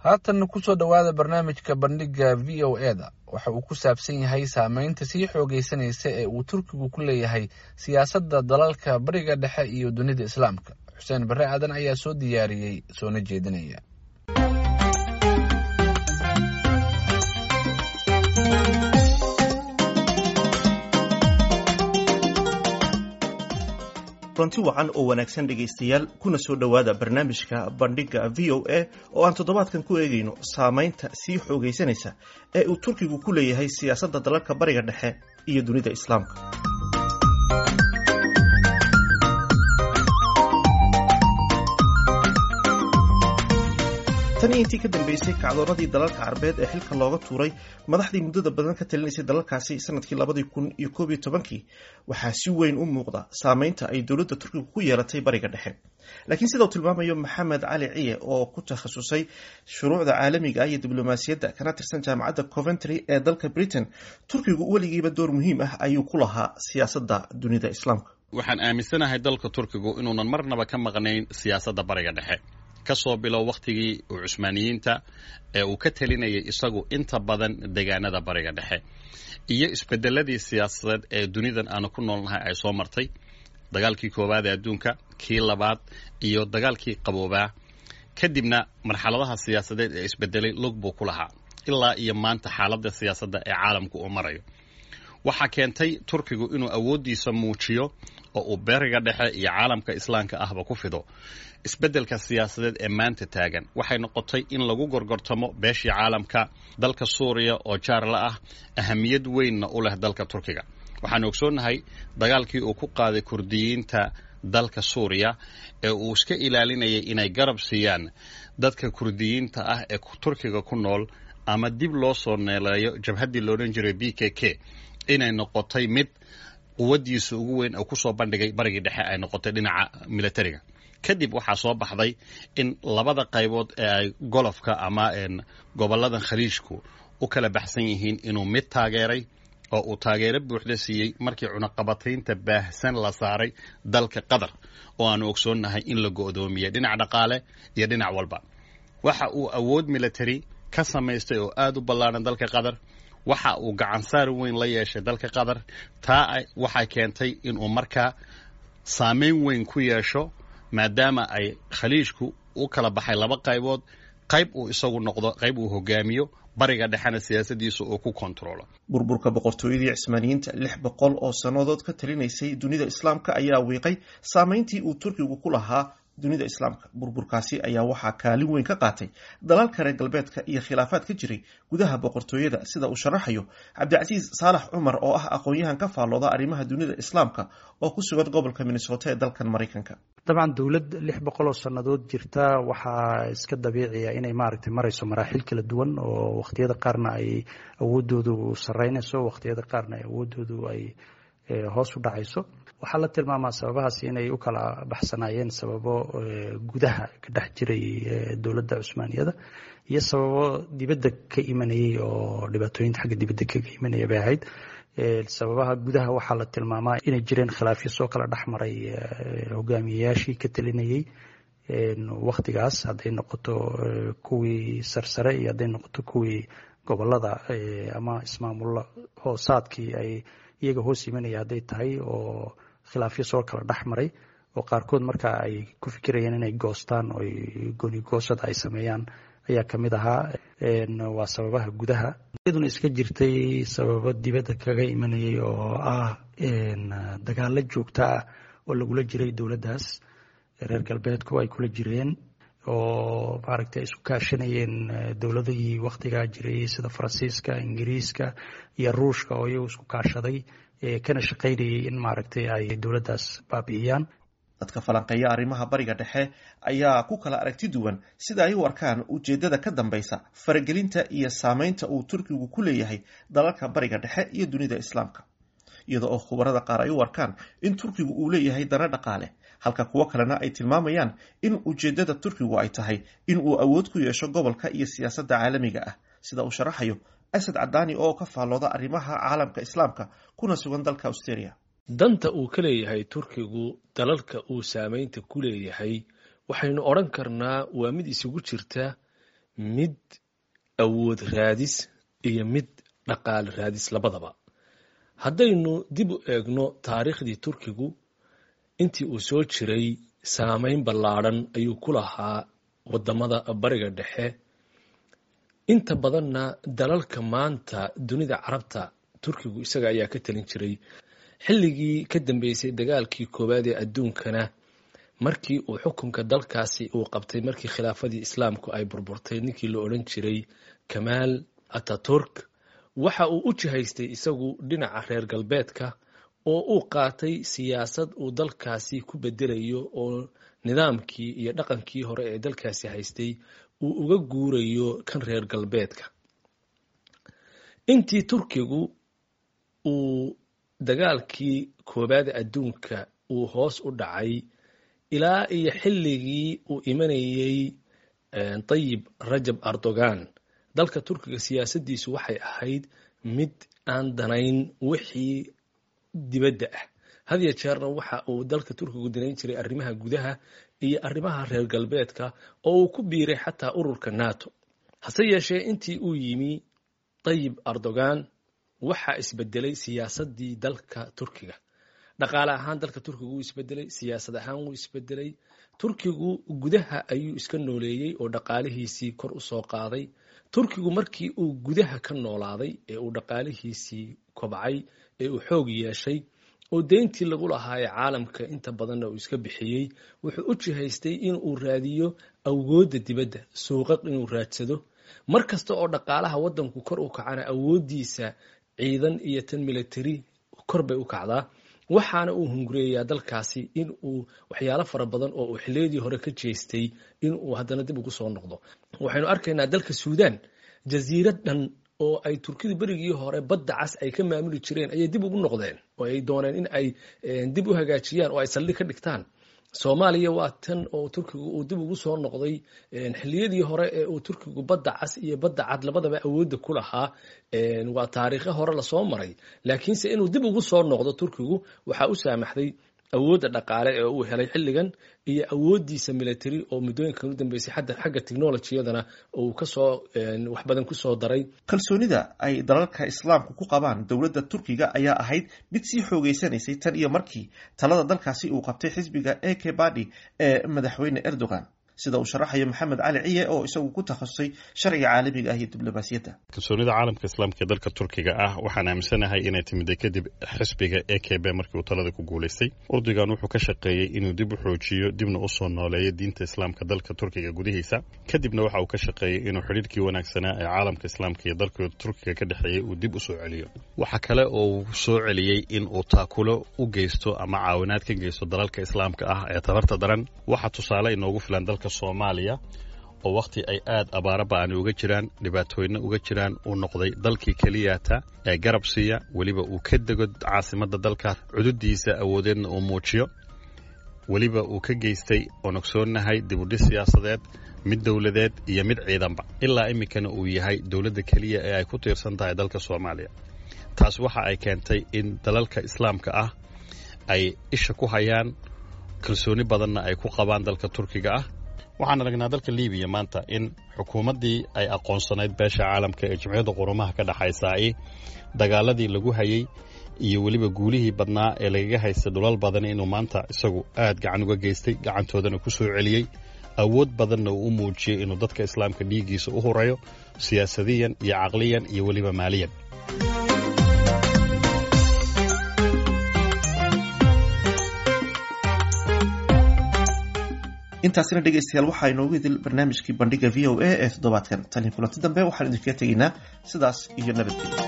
Haatanna kusoo dhowaada barnaamijka Bandhigga VOA-da. Waxa uu ku saabsan yahay saameynta sii xoogaysanaysa ee uu Turkigu ku leeyahay siyaasadda dalalka Bariga Dhexe iyo dunida Islaamka. Xuseen Barre Aadan ayaa soo diyaariyey, soona jeedinaya. Runti wacan oo wanaagsan, dhegaystayaal, kuna soo dhowaada barnaamijka Bandhigga VOA oo aan toddobaadkan ku eegayno saamaynta sii xoogaysanaysa ee uu Turkigu ku leeyahay siyaasadda dalalka Bariga Dhexe iyo dunida Islaamka. Tan iyo intii ka dambeysay kacdoonadii dalalka Carbeed ee xilka looga tuuray madaxdii muddada badan ka talinaysay dalalkaasi sanadkii 2011-kii, waxaa si weyn u muuqda saameynta ay dowladda Turkiga ku yeelatay Bariga Dhexe. Laakiin sida uu tilmaamayo Maxamed Cali Ciye, oo ku takhasusay shuruucda caalamiga ah iyo diblomaasiyadda, kana tirsan Jaamacadda Coventry ee dalka Britain, Turkigu weligiiba door muhiim ah ayuu ku lahaa siyaasadda dunida Islaamka. Waxaan aaminsanahay dalka Turkigu inuunan marnaba ka maqnayn siyaasadda Bariga Dhexe, kasoo bilow wakhtigii uu Cusmaaniyiinta ee uu ka talinayay isagu inta badan deegaanada Bariga Dhexe, iyo isbedeladii siyaasadeed ee dunidan aanu ku noolnahay ay soo martay: dagaalkii koowaad ee adduunka, kii labaad iyo dagaalkii qaboobaa. Kadibna marxaladaha siyaasadeed ee isbedelay lug buu ku lahaa ilaa iyo maanta xaaladda siyaasadda ee caalamku uu marayo. Waxaa keentay Turkigu inuu awooddiisa muujiyo oo uu Bariga Dhexe iyo caalamka Islaamka ahba ku fido isbeddelka siyaasadeed ee maanta taagan, waxay noqotay in lagu gorgortamo beeshii caalamka, dalka Suuriya oo jaar la ah, ahamiyad weynna u leh dalka Turkiga. Waxaanu ogsoonnahay dagaalkii uu ku qaaday Kurdiyiinta dalka Suuriya ee uu iska ilaalinayay inay garab siiyaan dadka Kurdiyiinta ah ee Turkiga ku nool ama dib loo soo neeleeyo jabhaddii loodhan jiray PKK, inay noqotay mid quwaddiisa ugu weyn oo kusoo bandhigay Barigii Dhexe ay noqotay dhinaca militariga. Kadib waxaa soo baxday in labada qaybood ee ay Golfka ama goboladan Khaliijku u kala baxsan yihiin inuu mid taageeray oo uu taageero buuxda siiyey markii cunaqabataynta baahsan la saaray dalka Qatar, oo aanu ogsoonnahay in la go'doomiyey dhinac dhaqaale iyo dhinac walba. Waxa uu awood military ka samaystay oo aada u ballaaran dalka Qatar. Waxa uu gacansaar weyn la yeeshay dalka Qatar. Taa waxay keentay inuu markaa saameyn weyn ku yeesho, maadaama ay Khaliijku u kala baxay laba qaybood, qayb uu isagu noqdo, qayb uu hogaamiyo, Bariga Dhexena siyaasadiisa uu ku kontrolo. Burburka boqortooyadii Cismaaniyiinta, 600 oo sannadood ka talinaysay dunida Islaamka, ayaa wiiqay saameyntii uu Turkigu ku lahaa dunida Islaamka. Burburkaasi ayaa waxaa kaalin weyn ka qaatay dalalka reer galbeedka iyo khilaafaad ka jiray gudaha boqortooyada, sida uu sharaxayo Cabdicasiis Saalax Cumar, oo ah aqoon-yahan ka faallooda arrimaha dunida Islaamka oo ku sugan gobolka Minnesota ee dalkan Maraykanka. Dabcan, dowlad 600 oo sannadood jirta waxaa iska dabiiciya inay maaragtay marayso maraaxil kala duwan, oo wakhtiyada qaarna ay awoodoodu sarreynayso, wakhtiyada qaarna ay awoodoodu ay hoos u dhacayso. Waxaa la tilmaamaa sababahaas inay u kala baxsanaayeen sababo gudaha ka dhex jiray dowladda Cusmaaniyada iyo sababo dibadda ka imanayay, oo dhibaatooyinta xagga dibadda kaga imanaya bay ahayd. Sababaha gudaha waxaa la tilmaamaa inay jireen khilaafyo soo kala dhex maray hogaamiyeyaashii ka talinayay wakhtigaas, hadday noqoto kuwii sarsare iyo hadday noqoto kuwii gobolada ama ismaamulla hoosaadkii ay iyaga hoos imanaya hadday tahay, oo khilaafyo soo kala dhex maray oo qaarkood markaa ay ku fikirayeen inay goostaan oo goonigoosada ay sameeyaan ayaa ka mid ahaa. Waa sababaha gudaha. Iyaduna iska jirtay sababo dibadda kaga imanayay oo ah dagaalo joogta ah oo lagula jiray dowladdaas, reer galbeedku ay kula jireen, oo maaragtay ay isku kaashanayeen dowladihii wakhtigaa jiray sida Faransiiska, Ingiriiska iyo Ruushka, oo iyagu isku kaashaday kana shaqaynayay in maaragtay ay dowladdaas baabi'iyaan. Dadka falanqeeya arrimaha Bariga Dhexe ayaa ku kala aragti duwan sida ay u arkaan ujeeddada ka dambaysa faragelinta iyo saameynta uu Turkigu ku leeyahay dalalka Bariga Dhexe iyo dunida Islaamka, iyada oo khubarada qaar ay u arkaan in Turkigu uu leeyahay dana dhaqaale, halka kuwo kalena ay tilmaamayaan in ujeeddada Turkigu ay tahay in uu awood ku yeesho gobolka iyo siyaasadda caalamiga ah, sida uu sharaxayo Asad Cadaani, oo ka faallooda arrimaha caalamka Islaamka kuna sugan dalka Australia. Danta uu ka leeyahay Turkigu dalalka uu saameynta ku leeyahay, waxaynu odhan karnaa waa mid isugu jirta mid awood raadis iyo mid dhaqaale raadis labadaba. Haddaynu dib u eegno taariikhdii Turkigu intii uu soo jiray, saameyn ballaadhan ayuu ku lahaa wadamada Bariga Dhexe. Inta badanna dalalka maanta dunida Carabta Turkigu isaga ayaa ka talin jiray. Xilligii ka dambeysay dagaalkii koowaad ee adduunkana, markii uu xukunka dalkaasi uu qabtay, markii khilaafadii Islaamku ay burburtay, ninkii la odhan jiray Kamaal Ataturk waxa uu u jihaystay isagu dhinaca reer galbeedka, oo uu qaatay siyaasad uu dalkaasi ku bedelayo oo nidaamkii iyo dhaqankii hore ee dalkaasi haystay uu uga guurayo kan reer galbeedka. Intii Turkigu uu dagaalkii koowaad adduunka uu hoos u dhacay ilaa iyo xilligii uu imanayey Tayib Rajab Erdogan, dalka Turkiga siyaasaddiisu waxay ahayd mid aan danayn wixii dibadda ah. Had ya jeerna waxa uu dalka Turkigu danayn jiray arrimaha gudaha iyo arrimaha reer galbeedka, oo uu ku biiray xataa ururka NATO. Hase yeeshee, intii uu yimi Tayib Erdogan waxaa isbedelay siyaasaddii dalka Turkiga. Dhaqaale ahaan dalka Turkigu wuu isbedelay, siyaasad ahaan wuu isbedelay. Turkigu gudaha ayuu iska nooleeyey oo dhaqaalihiisii kor u soo qaaday. Turkigu markii uu gudaha ka noolaaday ee uu dhaqaalihiisii kobcay ee uu xoog yeeshay oo deyntii lagu lahaa ee caalamka inta badanna uu iska bixiyey, wuxuu u jihaystay inuu raadiyo awoodda dibadda, suuqaq inuu raadsado. Mar kasta oo dhaqaalaha waddanku kor u kacana, awooddiisa ciidan iyo tan military kor bay u kacdaa. Waxaana uu hungureeyaa dalkaasi in uu waxyaalo fara badan oo uu xilliyadii hore ka jeestay in uu haddana dib ugu soo noqdo. Waxaynu arkaynaa dalka Suudaan, jasiirad dhan oo ay Turkidu berigii hore Badda Cas ay ka maamuli jireen ayay dib ugu noqdeen oo ay dooneen in ay dib u hagaajiyaan oo ay saldhig ka dhigtaan. Soomaaliya waa tan oo Turkigu uu dib ugu soo noqday. Xilliyadii hore ee uu Turkigu Badda Cas iyo Badda Cad labadaba awoodda ku lahaa waa taariikho hore lasoo maray, laakiinse inuu dib ugu soo noqdo Turkigu waxaa u saamaxday awoodda dhaqaale ee uu helay xilligan iyo awooddiisa military oo muddooyinkan u dambeysay xagga technolojiyadana uu kasoo wax badan kusoo daray. Kalsoonida ay dalalka Islaamku ku qabaan dowladda Turkiga ayaa ahayd mid sii xoogeysanaysay tan iyo markii talada dalkaasi uu qabtay xisbiga AK Party ee madaxweyne Erdogan, sida uu sharaxayo Maxamed Cali Ciye oo isagu ku takhasusay sharciga caalamiga ah iyo diblomaasiyadda. Kalsoonida caalamka Islaamka ee dalka Turkiga ah waxaan aaminsanahay inay timida kadib xisbiga AKB markii uu talada ku guulaystay. Erdogan wuxuu ka shaqeeyey inuu dib u xoojiyo dibna u soo nooleeyo diinta Islaamka dalka Turkiga gudihiisa. Kadibna waxa uu ka shaqeeyey inuu xidhiirkii wanaagsanaa ee caalamka Islaamka iyo dalka Turkiga ka dhexeeyey uu dib u soo celiyo. Waxa kale oo uu soo celiyey in uu taakulo u geysto ama caawinaad ka geysto dalalka Islaamka ah ee tabarta daran. Waxa tusaale inoogu filan dalka Soomaaliya oo wakhti ay aad abaaro ba'ani uga jiraan, dhibaatooyna uga jiraan, uu noqday dalkii keliyata ee garab siiya, weliba uu ka dego caasimadda dalka, cududiisa awoodeedna uu muujiyo, weliba uu ka geystay oon ogsoonnahay dibudhis siyaasadeed, mid dowladeed iyo mid ciidanba, ilaa iminkana uu yahay dowladda keliya ee ay ku tiirsan tahay dalka Soomaaliya. Taas waxa ay keentay in dalalka Islaamka ah ay isha ku hayaan, kalsooni badanna ay ku qabaan dalka Turkiga ah. Waxaan aragnaa dalka Libiya maanta in xukuumaddii ay aqoonsanayd beesha caalamka ee Jimciyadda Qurumaha ka dhexaysaai dagaaladii lagu hayey iyo weliba guulihii badnaa ee lagaga haystay dhulal badan inuu maanta isagu aad gacan uga geystay, gacantoodana ku soo celiyey, awood badanna uu u muujiyey inuu dadka Islaamka dhiiggiisa u horeeyo siyaasadiyan iyo caqliyan iyo weliba maaliyan. Intaasina dhegeystayaal waxaa inoogu idil barnaamijkii Bandhiga VOA ee toddobaadkan. Tani kulanti dambe waxaan idinkaga tegaynaa sidaas iyo nabadgelyo.